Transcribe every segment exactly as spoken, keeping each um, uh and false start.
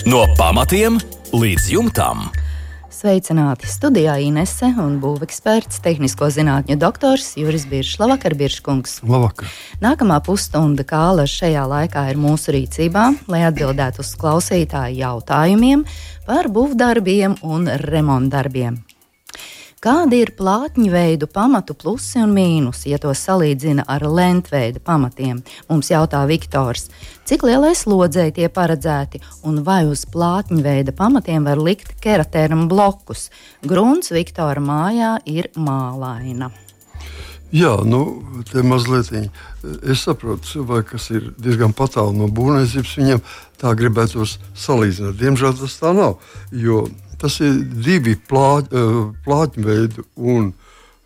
No pamatiem līdz jumtam. Sveicināti studijā Inese un būveksperts, tehnisko zinātņu doktors Juris Biršs. Labvakar, Birškungs. Labvakar. Nākamā pusstunda kāla šajā laikā ir mūsu rīcībā, lai atbildētu uz klausītāju jautājumiem par būvdarbiem un remontdarbiem. Kādi ir plātņveidu pamatu plusi un mīnusi, ja to salīdzina ar lentveida pamatiem? Mums jautā Viktors. Cik lielai slodzei tie paredzēti un vai uz plātņveida pamatiem var likt keratēram blokus? Grunts Viktora mājā ir mālaina. Jā, nu, te mazliet es saprotu cilvēku, kas ir diezgan patālu no būvniecības, viņam tā gribētos salīdzināt. Diemžēl tas tā nav, jo tas ir divi plāť, plātņveidu un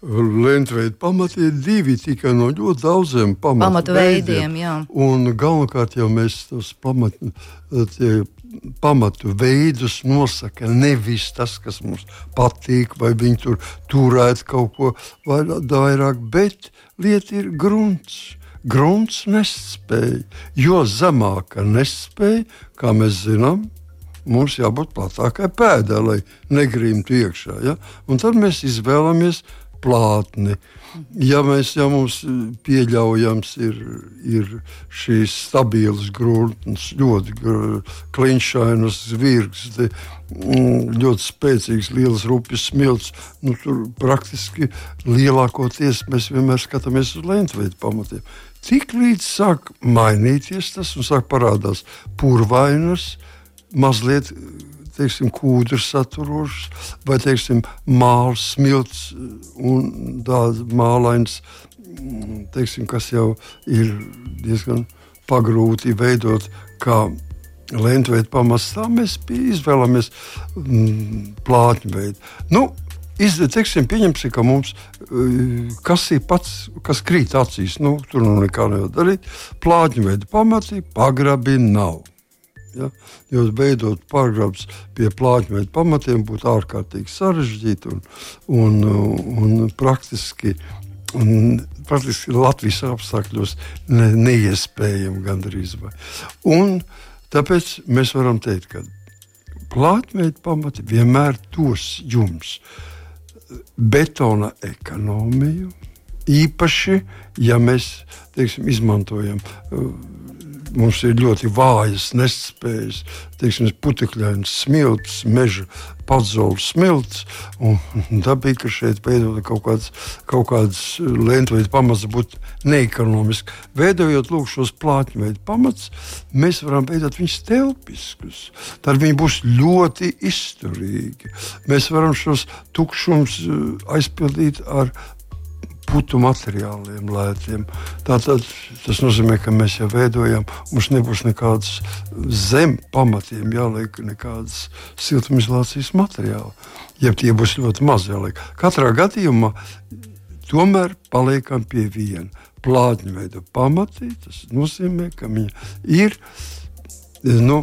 lentveidu pamati, ir divi tikai no ļoti daudziem pamatu, pamatu veidiem. Jā. Un galvenokārt jau mēs tos pamatu, tie, pamatu veidus nosaka nevis tas, kas mums patīk, vai viņi tur turētu kaut ko vairāk, bet lieta ir grunts. Grunts nespēja, jo zemāka nespēja, kā mēs zinām, mums jābūt platākai pēdai, lai negrīmtu iekšā. Ja? Un tad mēs izvēlamies plātni. Ja, mēs, ja mums pieļaujams ir, ir šīs stabilas grunts, ļoti kliņšainas zvirgs, ļoti spēcīgs, liels rupjas smilts, nu, tur praktiski lielākoties mēs vienmēr skatāmies uz lentveidu pamatiem. Tik līdz sāk mainīties tas un sāk parādās purvainas, mazliet, teiksim, kūdrs saturošs, vai, teiksim, māls, smilts un tāds mālains, teiksim, kas jau ir diezgan pagrūti veidot kā lentveidu pamats. Tā mēs izvēlamies mm, plātņveidu. Nu, iz, teiksim, pieņemsim, ka mums, kas ir pats, kas krīt acīs, nu, tur nu nekā nevar darīt, plātņveidu pamati, pagrabi nav. Ja? Jo veidot pagrabs pie plātņveidu pamatiem būtu ārkārtīgi sarežģīti un, un, un praktiski, un praktiski Latvijas apstākļos ne, neiespējami gandrīz vai. Un tāpēc mēs varam teikt, ka plātņveidu pamati vienmēr dos jums betona ekonomiju, īpaši, ja mēs, teiksim, izmantojam mums ir ļoti vājas nespējas, teiksim, putekļainas smilts, meža padzols smilts, un dabīgi, ka šeit veidot kaut kāds, kaut kāds lentveidu pamats būtu neekonomiski. Veidojot lūk šos plātņveidu pamats, mēs varam veidot viņus telpiskus. Tad viņi būs ļoti izturīgi. Mēs varam šos tukšums aizpildīt ar putu materiāliem lētiem. Tātad tas nozīmē, ka mēs jau veidojam, mums nebūs nekādas zem pamatiem jāliek nekādas siltumizolācijas materiāli. Ja tie būs ļoti maz jāliek. Katrā gadījumā tomēr paliekam pie viena. Plātņveida pamati, tas nozīmē, ka viņi ir nu,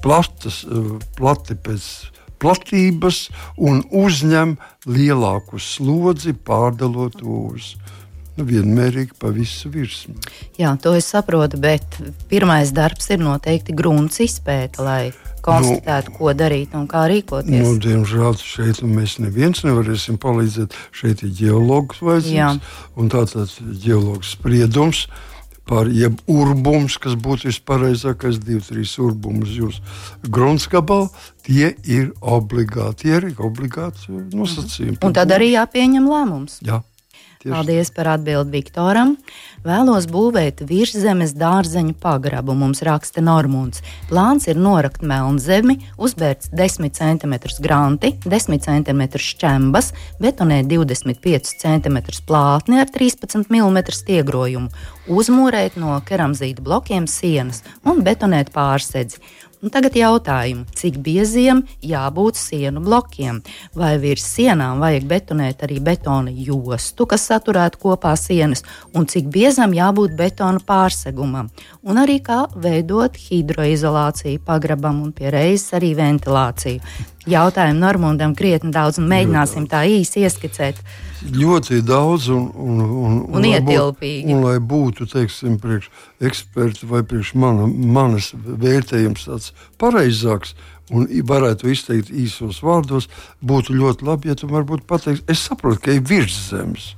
platas, plati pēc platības un uzņem lielāku slodzi, pārdalot uz nu, vienmērīgi pa visu virsmu. Jā, to es saprotu, bet pirmais darbs ir noteikti grunts izpēta, lai konstatētu, nu, ko darīt un kā rīkoties. Nu, diemžēl šeit mēs neviens nevarēsim palīdzēt. Šeit ir ģeologs vajadzīgs, un tātad ģeologs spriedums par jeb urbums, kas būtu vispareizākais, divi, trīs urbumus jūs grunts gabalu, tie ir obligāti, tie ir obligāti nosacījumi. Un tad arī jāpieņem lēmums. Jā. Paldies par atbildi Viktoram. Vēlos būvēt virszemes dārzeņu pagrabu, mums raksta Normunds. Plāns ir norakt melnzemi, uzbērts desmit centimetrus granti, desmit centimetrus šķembas, betonēt divdesmit piecus centimetrus plātni ar trīspadsmit milimetru stiegrojumu, uzmūrēt no keramzīta blokiem sienas un betonēt pārsedzi. Un tagad jautājumu, cik bieziem jābūt sienu blokiem? Vai virs sienām vajag betonēt arī betona jostu, kas saturētu kopā sienas, un cik biezam jābūt betona pārsegumam? Un arī kā veidot hidroizolāciju pagrabam un pie reizes arī ventilāciju. jautājumu Normundam krietni daudz un mēģināsim tā īsi ieskicēt. Ļoti daudz un, un, un, un, un ietilpīgi. Un, un lai būtu, teiksim, priekš eksperti vai priekš mana, manas vērtējums tāds pareizāks un varētu izteikt īsos vārdos, būtu ļoti labi, ja tu varbūt pateiksi, es saprotu, ka ir virszemes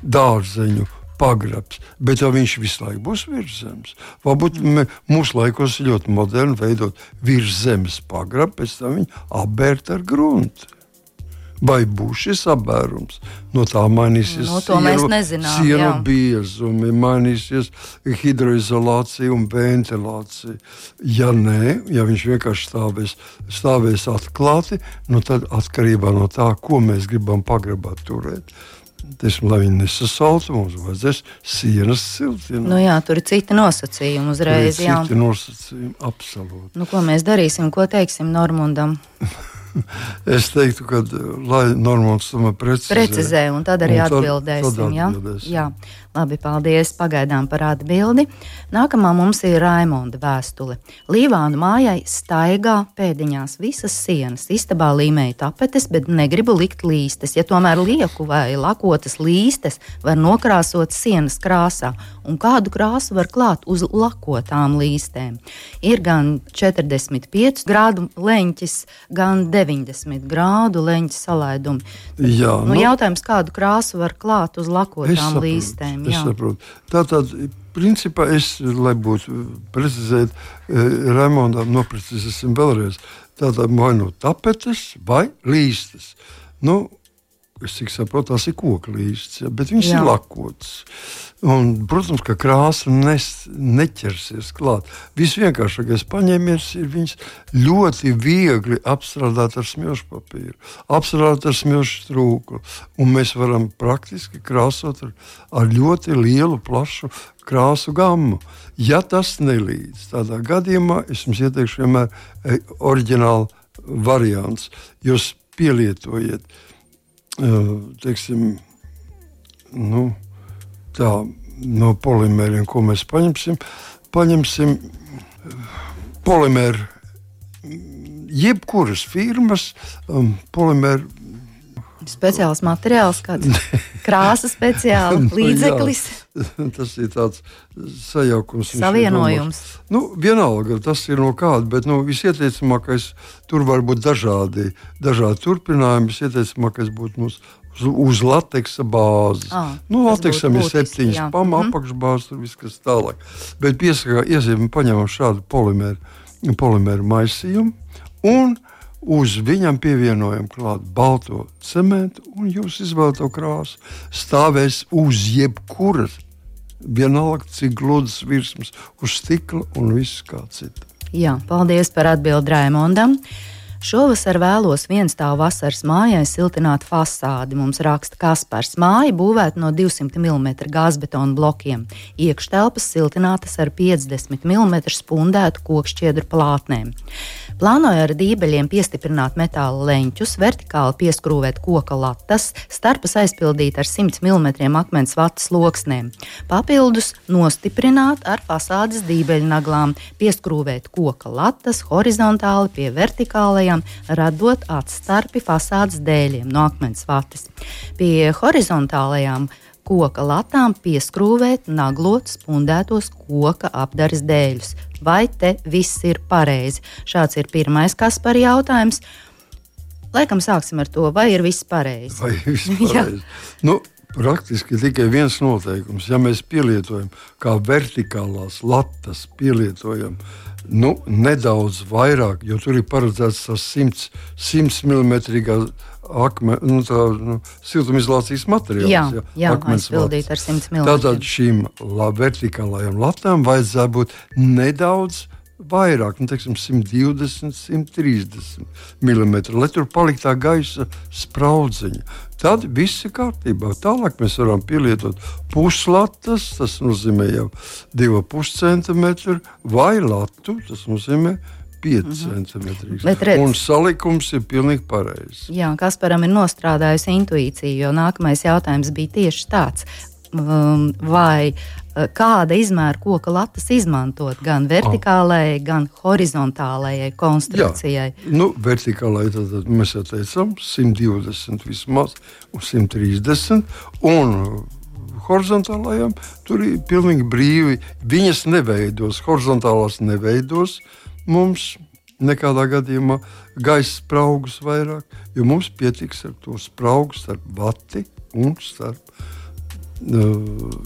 dārzeņu pagrabs, bet vai viņš visu laiku būs virszemes? Varbūt mm. mūsu laikos ir ļoti moderni veidot virszemes pagrabu, pēc tam viņu apbērt ar gruntu. Vai būs šis apbērums? No tā mainīsies no, sienu, sienu biezumi, mainīsies hidroizolācija un ventilācija. Ja nē, ja viņš vienkārši stāvēs, stāvēs atklāti, nu tad atkarībā no tā, ko mēs gribam pagrabā turēt. Teiksim, lai viņi nesasaltu, mums vajadzēs sienas siltināt. Nu jā, tur ir citi nosacījumi uzreiz. Ir citi nosacījumi, absolūti. Nu, ko mēs darīsim, ko teiksim Normundam? Es teiktu, ka lai Normunds tomēr precizē. Precizē, un tad arī un tad, atbildēsim. Tad atbildēsim. Jā? Jā. Labi, paldies pagaidām par atbildi. Nākamā mums ir Raimonda vēstule. Līvānu mājai staigā pēdiņās visas sienas. Istabā līmēja tapetes, bet negribu likt līstes. Ja tomēr lieku vai lakotas līstes var nokrāsot sienas krāsā. Un kādu krāsu var klāt uz lakotām līstēm? Ir gan četrdesmit pieci grādu leņķis, gan deviņdesmit grādu leņķis salaidumi. Jā, nu, nu, jautājums, kādu krāsu var klāt uz lakotām līstēm? Es saprotu. Tātad, principā, es, lai būtu precizēt, Raimondam noprecizēsim vēlreiz. Tātad, vai no tapetes vai līstes. Nu, es cik saprotu, tās ir koka līstes, ja, bet viņas jā. Ir lakotas. Un, protams, ka krāsa nes, neķersies klāt. Visvienkāršākais paņēmiens ir viņas ļoti viegli apstrādāt ar smilšu papīru, apstrādāt ar smilšu trūku. Un mēs varam praktiski krāsot ar, ar ļoti lielu, plašu krāsu gammu. Ja tas nelīdz, tādā gadījumā es jums ieteikšu vienmēr e, oriģinālu variants. Jūs pielietojiet teiksim, nu, tā, no polimēriem, ko mēs paņemsim, paņemsim polimēru, jebkuras firmas um, polimēru. Speciāls materiāls, kāds krāsa speciāla, līdzeklis. Jā, tas ir tāds sajaukums. Savienojums. Nu, vienalga, tas ir no kāda, bet nu, visieteicamākais, tur var būt dažādi, dažādi turpinājumi, visieteicamākais būtu mums uz, uz lateksa bāzes. Ah, nu, lateksam ir septiņas pama, mm-hmm. apakšbāzes, tur viss kas tālāk. Bet piesakā, iesim, paņemam šādu polimēru, polimēru maisījumu un uz viņam pievienojam klāt balto cementu un jūs izvēlēto krāsu. Stāvēs uz jebkuras, vienalga cik gludas virsmas, uz stikla un viss kā cita. Jā, paldies par atbildi Raimondam. Šovasar vēlos vienstāvu vasaras mājai siltināt fasādi. Mums raksta Kaspars. Māja būvēta no divsimt milimetru gāzbetona blokiem. Iekštelpas siltinātas ar piecdesmit milimetru spundētu kokšķiedru plātnēm. Plānoju ar dībeļiem piestiprināt metāla leņķus, vertikāli pieskrūvēt koka latas, starpas aizpildīt ar simt milimetru akmens vatas loksnēm. Papildus nostiprināt ar fasādes dībeļnaglām, pieskrūvēt koka latas horizontāli pie vertikālajām, radot atstarpi fasādes dēļiem no akmens vatas. Pie horizontālajām koka latām pieskrūvēt naglot spundētos koka apdares dēļus. Vai te viss ir pareizi? Šāds ir pirmais Kaspara jautājums. Laikam sāksim ar to, vai ir viss pareizi? Vai viss pareizi? Nu, praktiski tikai viens noteikums. Ja mēs pielietojam kā vertikālās latas, pielietojam nu, nedaudz vairāk, jo tur ir paredzēts tas simts milimetrīgā akme, nu, tā, nu, siltumizolācijas materiāls. Jā, jā, jā aizpildīt ar simt milimetriem. Tātad šīm la, vertikālajām latām vajadzētu būt nedaudz vairāk, nu, teiksim, simt divdesmit, simt trīsdesmit milimetri, lai tur palikt tā gaisa spraudziņa. Tad viss ir kārtībā. Tālāk mēs varam pielietot puslatas, tas nozīmē jau divi ar pus centimetri, vai latu, tas nozīmē pieci centimetri. Un salikums ir pilnīgi pareizs. Jā, Kasparam ir nostrādājusi intuīcija, jo nākamais jautājums bija tieši tāds. Vai kāda izmēra koka latas izmantot gan vertikālajai, gan horizontālajai konstrukcijai. Jā, nu, vertikālajai tad mēs jau teicām simt divdesmit vismaz un simt trīsdesmit, un horizontālajām tur ir pilnīgi brīvi. Viņas neveidos, horizontālās neveidos mums nekādā gadījumā gaisa spraugus vairāk, jo mums pietiks ar to spraugu starp vati un starp uh,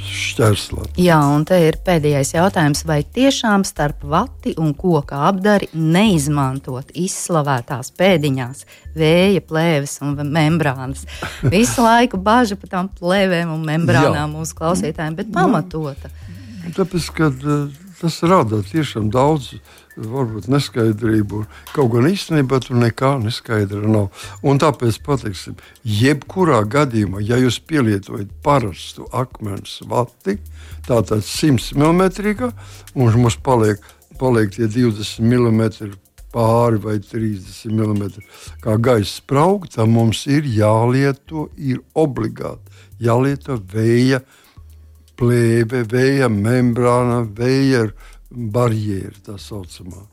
šķērslāti. Jā, un te ir pēdējais jautājums, vai tiešām starp vati un koka apdari neizmantot izslavētās pēdiņās vēja plēves un membrānas? Visu laiku bāža par tām plēvēm un membrānām mūsu klausītājiem, bet pamatota. Tāpēc, ka tas rada tiešām daudz varbūt neskaidrību, kaut gan īstenībā tur nekā neskaidra nav. Un tāpēc pateiksim, jebkurā gadījumā, ja jūs pielietojat parastu akmens vati, tātad simt milimetrīgā, un mums paliek, paliek tie divdesmit milimetri pāri vai trīsdesmit milimetri kā gaisa sprauga, tad mums ir jālieto, ir obligāti jālieto vēja plēve, vēja membrāna, vēja barjēra, tā saucamā.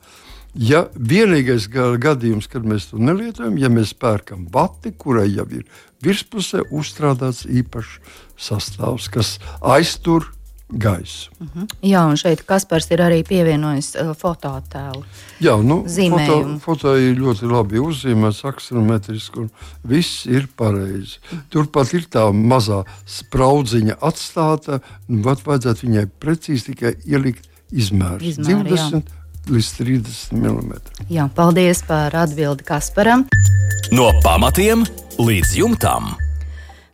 Ja vienīgais gadījums, kad mēs to nelietojam, ja mēs pērkam vati, kurai jau ir virspusē uzstrādāts īpašs sastāvs, kas aiztur gaisu. Uh-huh. Jā, un šeit Kaspars ir arī pievienojis uh, fotoattēlu. Jā, nu, foto, zīmējumu. foto ir ļoti labi uzzīmēts, aksonometriski, un viss ir pareizi. Turpat ir tā mazā spraudziņa atstāta, vat vajadzētu viņai precīzi tikai ielikt izmērs. Izmēri, divdesmit līdz trīsdesmit milimetri. Jā, paldies par atbildi Kasparam. No pamatiem līdz jumtam.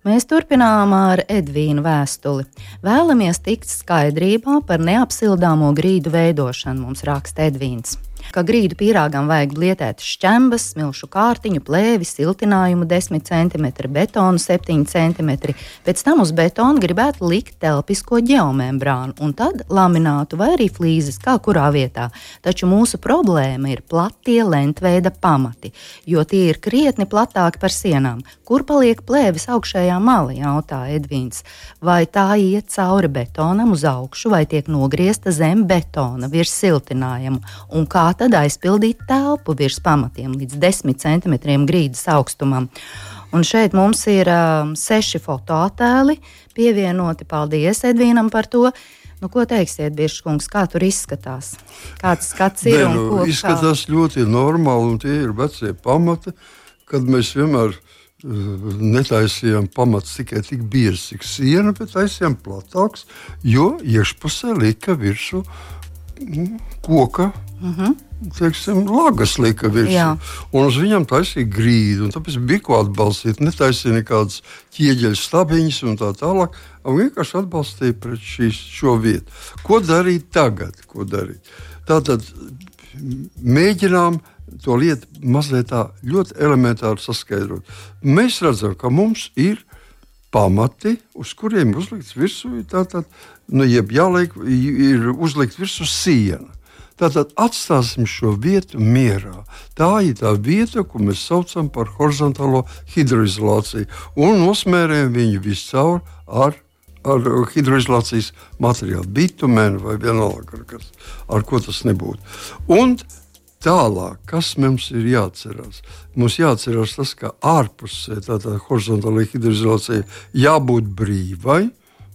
Mēs turpinām ar Edvīnu vēstuli. Vēlamies tikt skaidrībā par neapsildāmo grīdu veidošanu, mums raksta Edvīns. Ka grīdu pīrāgam vajag blietēt šķembas, smilšu kārtiņu, plēvi, siltinājumu desmit centimetri, betonu septiņi centimetri. Pēc tam uz betonu gribētu likt telpisko ģeomembrānu un tad laminātu vai arī flīzes, kā kurā vietā. Taču mūsu problēma ir platie lentveida pamati, jo tie ir krietni platāki par sienām. Kur paliek plēvis augšējā mala, jautā Edvīns. Vai tā iet cauri betonam uz augšu, vai tiek nogriezta zem betona virs siltinājumu, un kā tad aizpildīt telpu virs pamatiem līdz desmit centimetriem grīdas augstumam. Un šeit mums ir um, seši fotoattēli pievienoti. Paldies Edvīnam par to. Nu, ko teiksiet, Biržkungs, kā tur izskatās? Kāds skats ir? Ne, nu, un ko, izskatās kā? Ļoti normāli, un tie ir vecie pamati, kad mēs vienmēr uh, netaisījām pamats tikai tik biezi, cik siena, bet taisījām platāks, jo iekšpusē lika virsū mm, koka Uh-huh. teiksim, lagas lika virsū. Un uz viņam taisīja grīdu. Tāpēc bija ko atbalstīt. Netaisīja nekādas ķieģeļu stabiņas un tā tālāk. Un vienkārši atbalstīja pret šīs, šo vietu. Ko darīt tagad? Ko darīt? Tātad mēģinām to lietu mazliet tā ļoti elementāri saskaidrot. Mēs redzam, ka mums ir pamati, uz kuriem uzlikts virsū, tātad, nu, jeb jāliek, ir uzlikt virsū siena. Tātad atstāsim šo vietu mierā. Tā ir tā vieta, ko mēs saucam par horizontālo hidroizolāciju. Un nosmērējam viņu viscaur ar, ar hidroizolācijas materiālu, bitumēnu vai vienalga, ar, ar ko tas nebūtu. Un tālāk, kas mums ir jāatcerās? Mums jāatcerās tas, ka ārpusē tātad horizontālajai hidroizolācijai jābūt brīvai,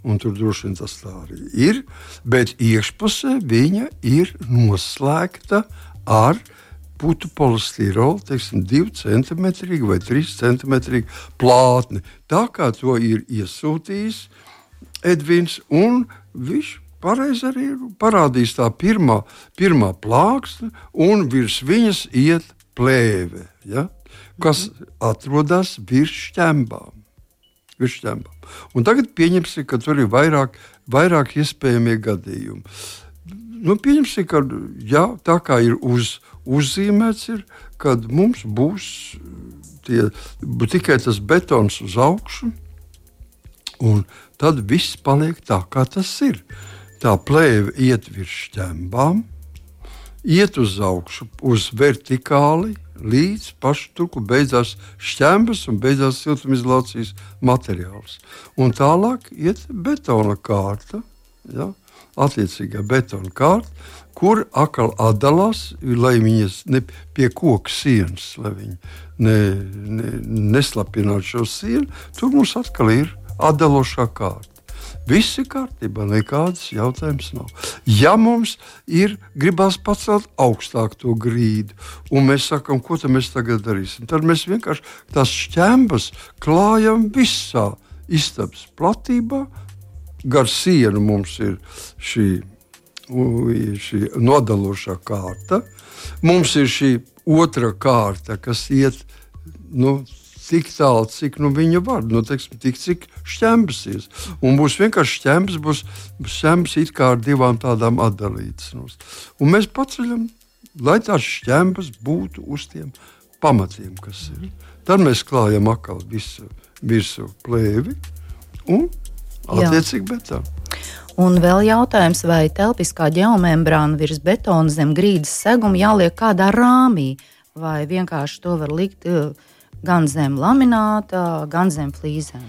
un tur droši vien tas tā arī ir, bet iekšpusē viņa ir noslēgta ar putu polistirolu, teiksim, divi centimetri vai trīs centimetri plātni. Tā kā to ir iesūtījis Edvins, un viņš pareizi arī parādīs tā pirmā, pirmā plāksne, un virs viņas iet plēve, ja, kas atrodas virs šķembām. Un tagad pieņemsim, ka tur ir vairāk, vairāk iespējamie gadījumi. Nu, pieņemsim, ka jā, tā kā ir uz, uzzīmēts, ir, kad mums būs tie, tikai tas betons uz augšu, un tad viss paliek tā, kā tas ir. Tā plēve iet virs šķembām, iet uz augšu, uz vertikāli, līdz pašu tur, kur beidzās šķembas un beidzās siltumizolācijas materiāls. Un tālāk iet betona kārta, ja, attiecīgā betona kārta, kur atkal atdalās, lai viņas ne pie koka sienas, lai viņi ne, ne, neslapinātu šo sienu. Tur mums atkal ir atdalošā kārta. Viss ir kārtībā, nekādas jautājums nav. Ja mums ir gribās pacelt augstāk to grīdu, un mēs sakam, ko tad mēs tagad darīsim, tad mēs vienkārši tās šķembas klājam visā istabas platībā. Gar sienu mums ir šī, šī nodalošā kārta. Mums ir šī otra kārta, kas iet, nu, tik tālu, cik nu, viņa var, nu, teiksim, tik cik šķembas ies. Un būs vienkārši šķembas, būs šķembas it kā ar divām tādām atdalītas. Un mēs paceļam, lai tās šķembas būtu uz tiem pamatiem, kas ir. Tad mēs klājam atkal visu virsū plēvi un attiecīgi betonu. Un vēl jautājums, vai telpiskā ģeomembrāna virs betona zem grīdas seguma jāliek kādā rāmī, vai vienkārši to var likt gan zem lamināta, gan zem flīzēm.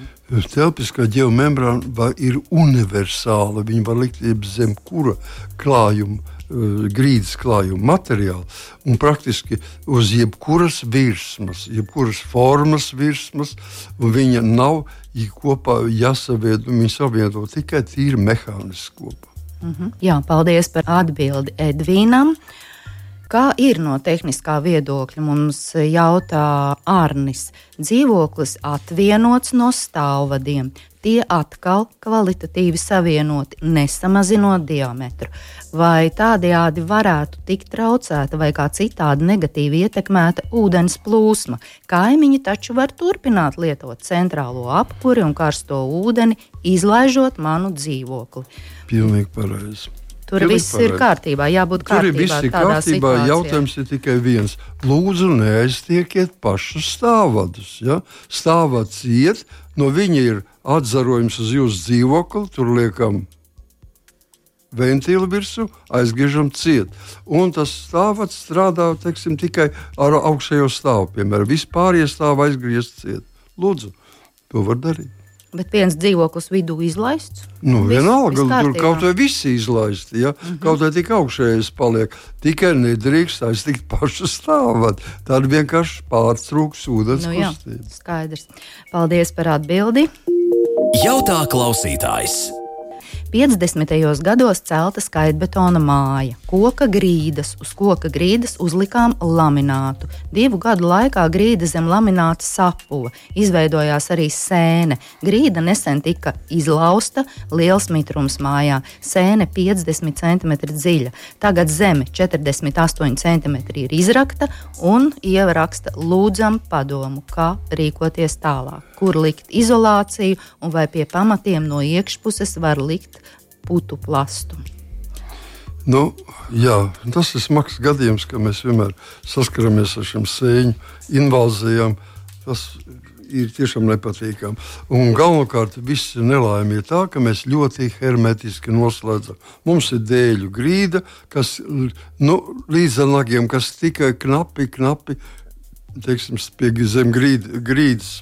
Telpiskā ģeomembrāna ir universāla. Viņa var likt zem kura klājuma, grīdas klājuma materiāla un praktiski uz jebkuras virsmas, jebkuras formas virsmas, un viņa nav kopā jāsaviedo, viņa saviedo tikai tīri mehāniski kopā. Mhm. Jā, paldies par atbildi Edvīnam. Kā ir no tehniskā viedokļa, mums jautā Arnis. Dzīvoklis atvienots no stāvvadiem. Tie atkal kvalitatīvi savienoti, nesamazinot diametru. Vai tādējādi varētu tikt traucēta vai kā citādi negatīvi ietekmēta ūdens plūsma? Kaimiņi taču var turpināt lietot centrālo apkuri un karsto ūdeni, izlaižot manu dzīvokli. Pilnīgi pareizi. Tur Pilīgi viss pareizi. Ir kārtībā, jābūt kārtībā. Tur ir viss ir kārtībā, situācijā. Jautājums ir tikai viens. Lūdzu, neaiztiekiet pašus stāvvadus. Ja? Stāvvads iet, no viņa ir atzarojums uz jūsu dzīvokli, tur liekam ventīli virsū, aizgriežam ciet. Un tas stāvvads strādā, teiksim, tikai ar augšējo stāvu. Piemēram, vispārējie stāvi aizgriezt ciet. Lūdzu, to var darīt. Bet viens dzīvoklis vidū izlaists? Nu, vis, vienalga, tur kaut vai visi izlaisti, ja? Mm-hmm. Kaut vai tik augšējais paliek. Tikai nedrīkst aiztikt pašu stāvot. Tad vienkārši pārtrūks ūdens nu, kustība. Jā, skaidrs. Paldies par atbildi. Jautā klausītājs. piecdesmitajos gados celta skaitbetona māja, koka grīdas, uz koka grīdas uzlikām laminātu. Divu gadu laikā grīda zem lamināta sapuva, izveidojās arī sēne. Grīda nesen tika izlausta, liels mitrums mājā, sēne piecdesmit centimetri dziļa. Tagad zeme četrdesmit astoņi centimetri ir izrakta un Ieva raksta lūdzam padomu, kā rīkoties tālāk, kur likt izolāciju un vai pie pamatiem no iekšpuses var likt putu plastu. Nu, jā, tas ir smags gadījums, ka mēs vienmēr saskaramies ar šiem sēņu invāzijām. Tas ir tiešām nepatīkami. Un galvenokārt viss nelaime ir tā, ka mēs ļoti hermetiski noslēdzam. Mums ir dēļu grīda, kas nu, līdz ar nagiem, kas tikai knapi, knapi, teiksim, pie zem grīd, grīdas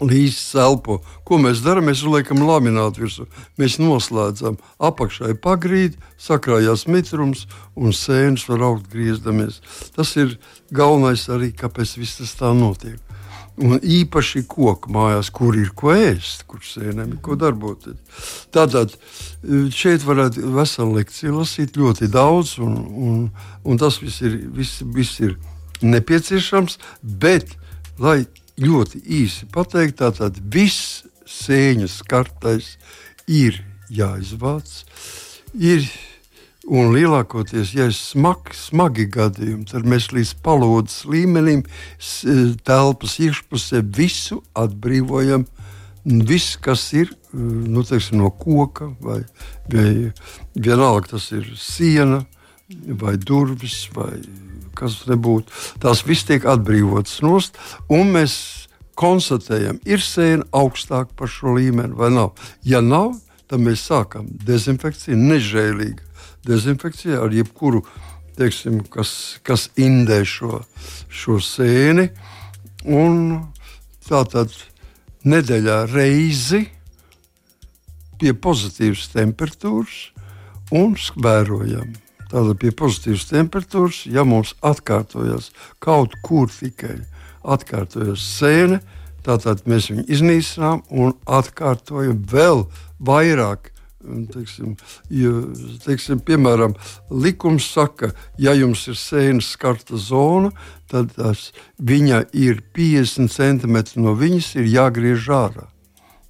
līdz elpo. Ko mēs darām? Mēs uzliekam laminātu virsū. Mēs noslēdzam apakšai pagrīdi, sakrājās mitrums un sēnes var augt griezdamies. Tas ir galvenais arī, kāpēc viss tas tā notiek. Un īpaši koku mājās, kur ir ko ēst, kur sēnēm ir ko darboties. Tātad šeit varētu veselu lekciju lasīt ļoti daudz, un, un, un tas viss ir, viss, viss ir nepieciešams, bet, lai ļoti īsi pateikt, tātad viss sēņas kartais ir jāizvāc, ir, un lielākoties, ja ir smagi, smagi gadījumi, tad mēs līdz palodas līmenim telpas iekšpusē visu atbrīvojam, viss, kas ir, nu, teiksim, no koka, vai, vai vienalga tas ir siena, vai durvis, vai kas nebūtu. Tās viss tiek atbrīvotas nost, un mēs konstatējam, ir sēna augstāk par šo līmeni vai nav. Ja nav, tad mēs sākam dezinfekciju, nežēlīgu dezinfekciju ar jebkuru, teiksim, kas, kas indē šo, šo sēni. Un tātad nedēļā reizi pie pozitīvas temperatūras un vērojam. Tātad pie pozitīvas temperatūras, ja mums atkārtojas kaut kur tikai atkārtojas sēne, tātad mēs viņu iznīcinām un atkārtojam vēl vairāk. Teiksim, jo, teiksim, piemēram, likums saka, ja jums ir sēnes skarta zona, tad tas, viņa ir piecdesmit centimetri no viņas ir jāgriež ārā.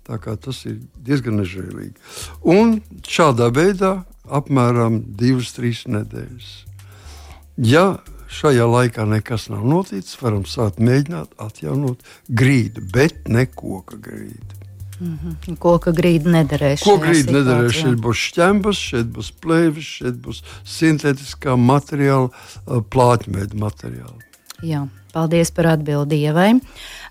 Tā kā tas ir diezgan nežēlīgi. Un šādā veidā apmēram divas, trīs nedēļas. Ja šajā laikā nekas nav noticis, varam sākt mēģināt atjaunot grīdu, bet ne koka grīdu. Mm-hmm. Koka grīda nederēs. Koka grīda nederēs. Šeit būs šķembas, šeit būs plēvis, šeit būs sintētiskā materiāla, plāķmeļa materiāla. Jā, paldies par atbildi Ievai.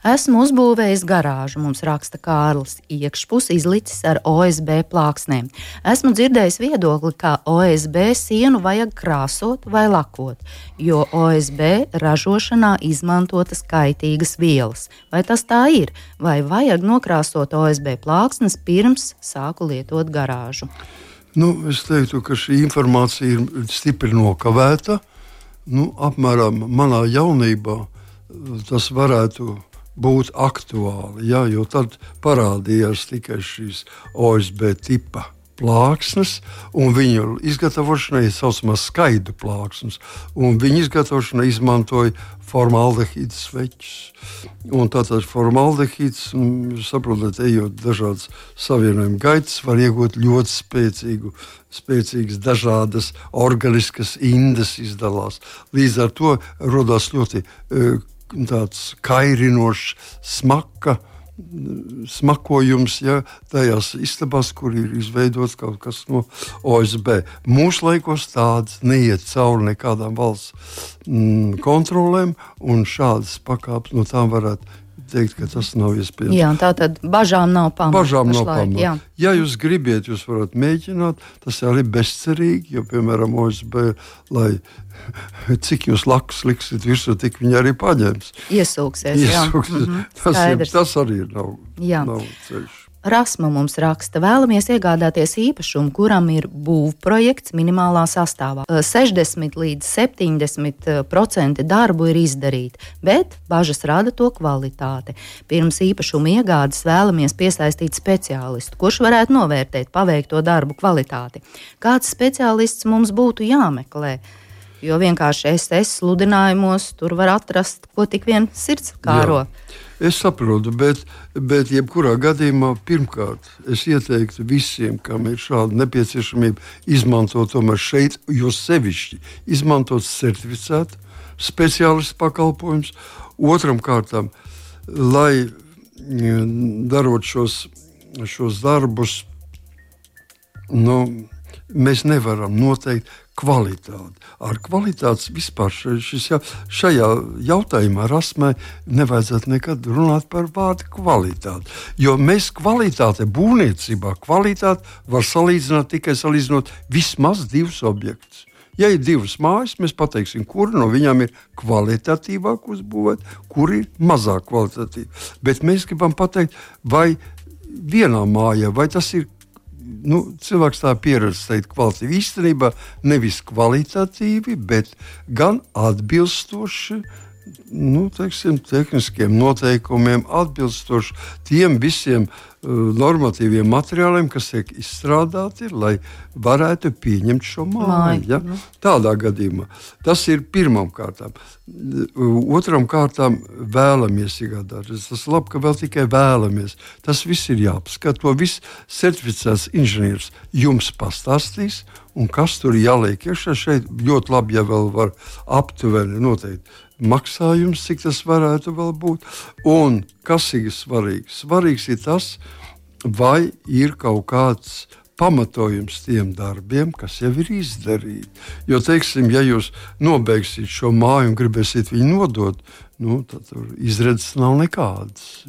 Esmu uzbūvējis garāžu, mums raksta Kārlis, iekšpus izlicis ar O S B plāksnēm. Esmu dzirdējis viedokli, ka O S B sienu vajag krāsot vai lakot, jo O S B ražošanā izmantotas kaitīgas vielas. Vai tas tā ir? Vai vajag nokrāsot O S B plāksnes pirms sāku lietot garāžu? Nu, es teiktu, ka šī informācija ir stipri nokavēta. Nu, apmēram manā jaunībā tas varētu būt aktuāli, jā, jo tad parādījās tikai šīs O S B tipa plāksnes, un viņu izgatavošanai ir saucamās skaidu plāksnes, un viņu izgatavošanai izmantoja formaldehīdu sveķus. Un tātad formaldehīds, saprotat, ejot dažādas savienojuma gaitas, var iegūt ļoti spēcīgu, spēcīgas dažādas organiskas indes izdalās. Līdz ar to rodās ļoti tāds kairinošs smaka, smakojums, ja, tajās istabās, kur ir izveidots kaut kas no O S B. Mūsu laikos tāds neiet cauri nekādām valsts mm, kontrolēm, un šādas pakāpes no tām varētu teikt, ka tas nav iespējams. Jā, tātad bažām nav pamata. Bažām nav pamata. Ja jūs gribiet, jūs varat mēģināt, tas arī bezcerīgi, jo, piemēram, O S B, lai cik jūs lakus liksiet virsū, tik viņi arī paņems. Iesūksies, jā. Iesūksies. Mm-hmm. Tas, ir, tas arī nav, nav ceļš. Rasma mums raksta, vēlamies iegādāties īpašumu, kuram ir būvprojekts minimālā sastāvā. sešdesmit līdz septiņdesmit procenti darbu ir izdarīti, bet bažas rada to kvalitāte. Pirms īpašuma iegādes vēlamies piesaistīt speciālistu, kurš varētu novērtēt paveikto darbu kvalitāti. Kāds speciālists mums būtu jāmeklē? Jo vienkārši es es sludinājumos tur var atrast, ko tik vien sirds kāro. Jā. Es saprotu, bet, bet jebkurā gadījumā pirmkārt es ieteiktu visiem, kam ir šāda nepieciešamība, izmantot tomēr šeit, jo sevišķi izmantot certificētu speciālistu pakalpojumus. Otram kārtām, lai darot šos, šos darbus, nu, mēs nevaram noteikt kvalitāti. Ar kvalitātes vispār šis, šajā jautājumā Rasmai nevajadzētu nekad runāt par vārdu kvalitāti. Jo mēs kvalitāte būvniecībā, kvalitāti var salīdzināt tikai salīdzinot vismaz divus objektus. Ja ir divas mājas, mēs pateiksim, kura no viņām ir kvalitatīvāk uzbūvēt, kur ir mazāk kvalitatīva. Bet mēs gribam pateikt, vai vienā mājā, vai tas ir Nu, cilvēks tā pieredze teikt kvalitīvi. Īstenībā nevis kvalitatīvi, bet gan atbilstoši nu, teiksim, tehniskiem noteikumiem, atbilstoši tiem visiem uh, normatīviem materiāliem, kas tiek izstrādāti, lai varētu pieņemt šo māju. Ja? Tādā gadījumā tas ir pirmām kārtām. Otram kārtām vēlamies iegādāties. Tas ir labi, ka vēl tikai vēlamies. Tas viss ir jāapskata. To viss certificēts inženieris jums pastāstīs, un kas tur jāliek iekšā. Šeit ļoti labi, ja vēl var aptuveni noteikt maksājums, cik tas varētu vēl būt. Un kas ir svarīgs? Svarīgs ir tas, vai ir kaut kāds pamatojums tiem darbiem, kas jau ir izdarīti. Jo, teiksim, ja jūs nobeigsiet šo māju un gribēsiet viņu nodot, nu, tad tur izredzes nav nekādas.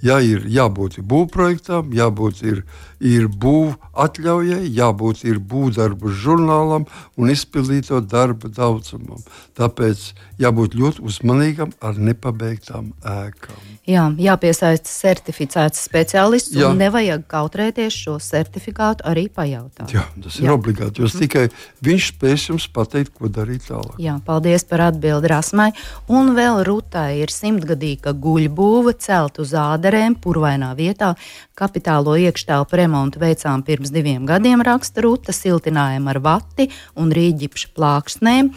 Ja ir jābūt ir būvprojektam, jābūt ir, ir būv atļaujai, jābūt ir būvdarbu žurnālam un izpildīto darba daudzumam. Tāpēc jābūt ļoti uzmanīgam ar nepabeigtām ēkām. Jā, jāpiesaista certificēts speciālists Jā. un nevajag kautrēties šo certifikātu arī pajautāt. Jā, tas ir Jā. obligāti, jo mm. tikai viņš spēs jums pateikt, ko darīt tālāk. Jā, paldies par atbildi Rasmai. Un vēl Rutai ir simtgadīga guļbūve celt uz āderēm purvainā vietā. Kapitālo iekštelpu remontu veicām pirms diviem gadiem, raksta Ruta, siltinājumu ar vati un rīģipša plāksnēm.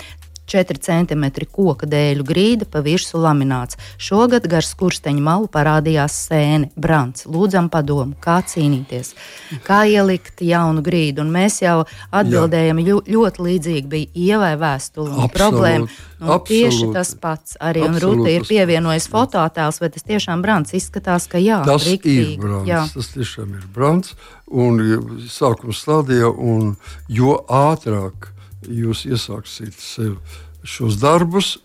četri centimetri koka dēļu grīda, pa virsu lamināts. Šogad gar skursteņu malu parādījās sēne, brants. Lūdzam padomu, kā cīnīties, kā ielikt jaunu grīdu. Un mēs jau atbildējam, ļo, ļoti līdzīgi bija Ievai vēstuli un problēma. Un tieši tas pats arī. Un Ruta ir pievienojis fototēls, vai tas tiešām brants izskatās, ka jā, tas riktīgi. ir brants, jā. Tas tiešām ir brants. Un sākuma stadijā, un jo ātrāk jūs iesāksiet sev šos darbus,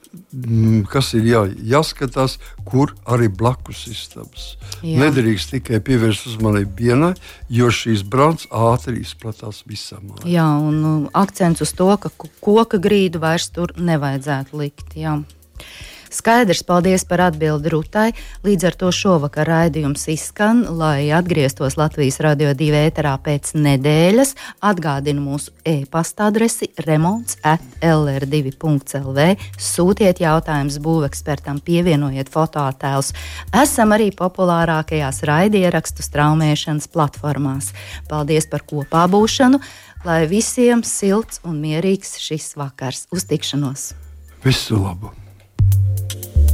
kas ir jā, jāskatās, kur arī blakus istabas. Jā. Nedrīkst tikai pievērst uzmanību vienai, jo šīs brants ātri izplatās visā mājā. Jā, un akcents uz to, ka koka grīdu vairs tur nevajadzētu likt. Jā. Skaidrs, paldies par atbildi Rutai. Līdz ar to šovakar raidījums izskan, lai atgrieztos Latvijas Radio divi ēterā pēc nedēļas. Atgādinu mūsu e-pasta adresi remonts at l r divi punkts l v. Sūtiet jautājumus būvekspertam, pievienojiet fotoattēlus. Esam arī populārākajās raidierakstu straumēšanas platformās. Paldies par kopā būšanu, lai visiem silts un mierīgs šis vakars. Uz tikšanos! Visu labu!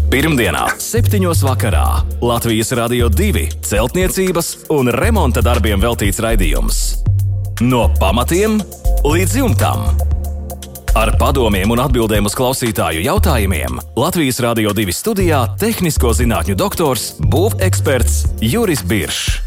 Pirmdienā, septiņos vakarā Latvijas Radio divi celtniecības un remonta darbiem veltīts raidījums. No pamatiem līdz jumtam. Ar padomiem un atbildēm uz klausītāju jautājumiem Latvijas Radio divi studijā tehnisko zinātņu doktors, būveksperts Juris Biršs.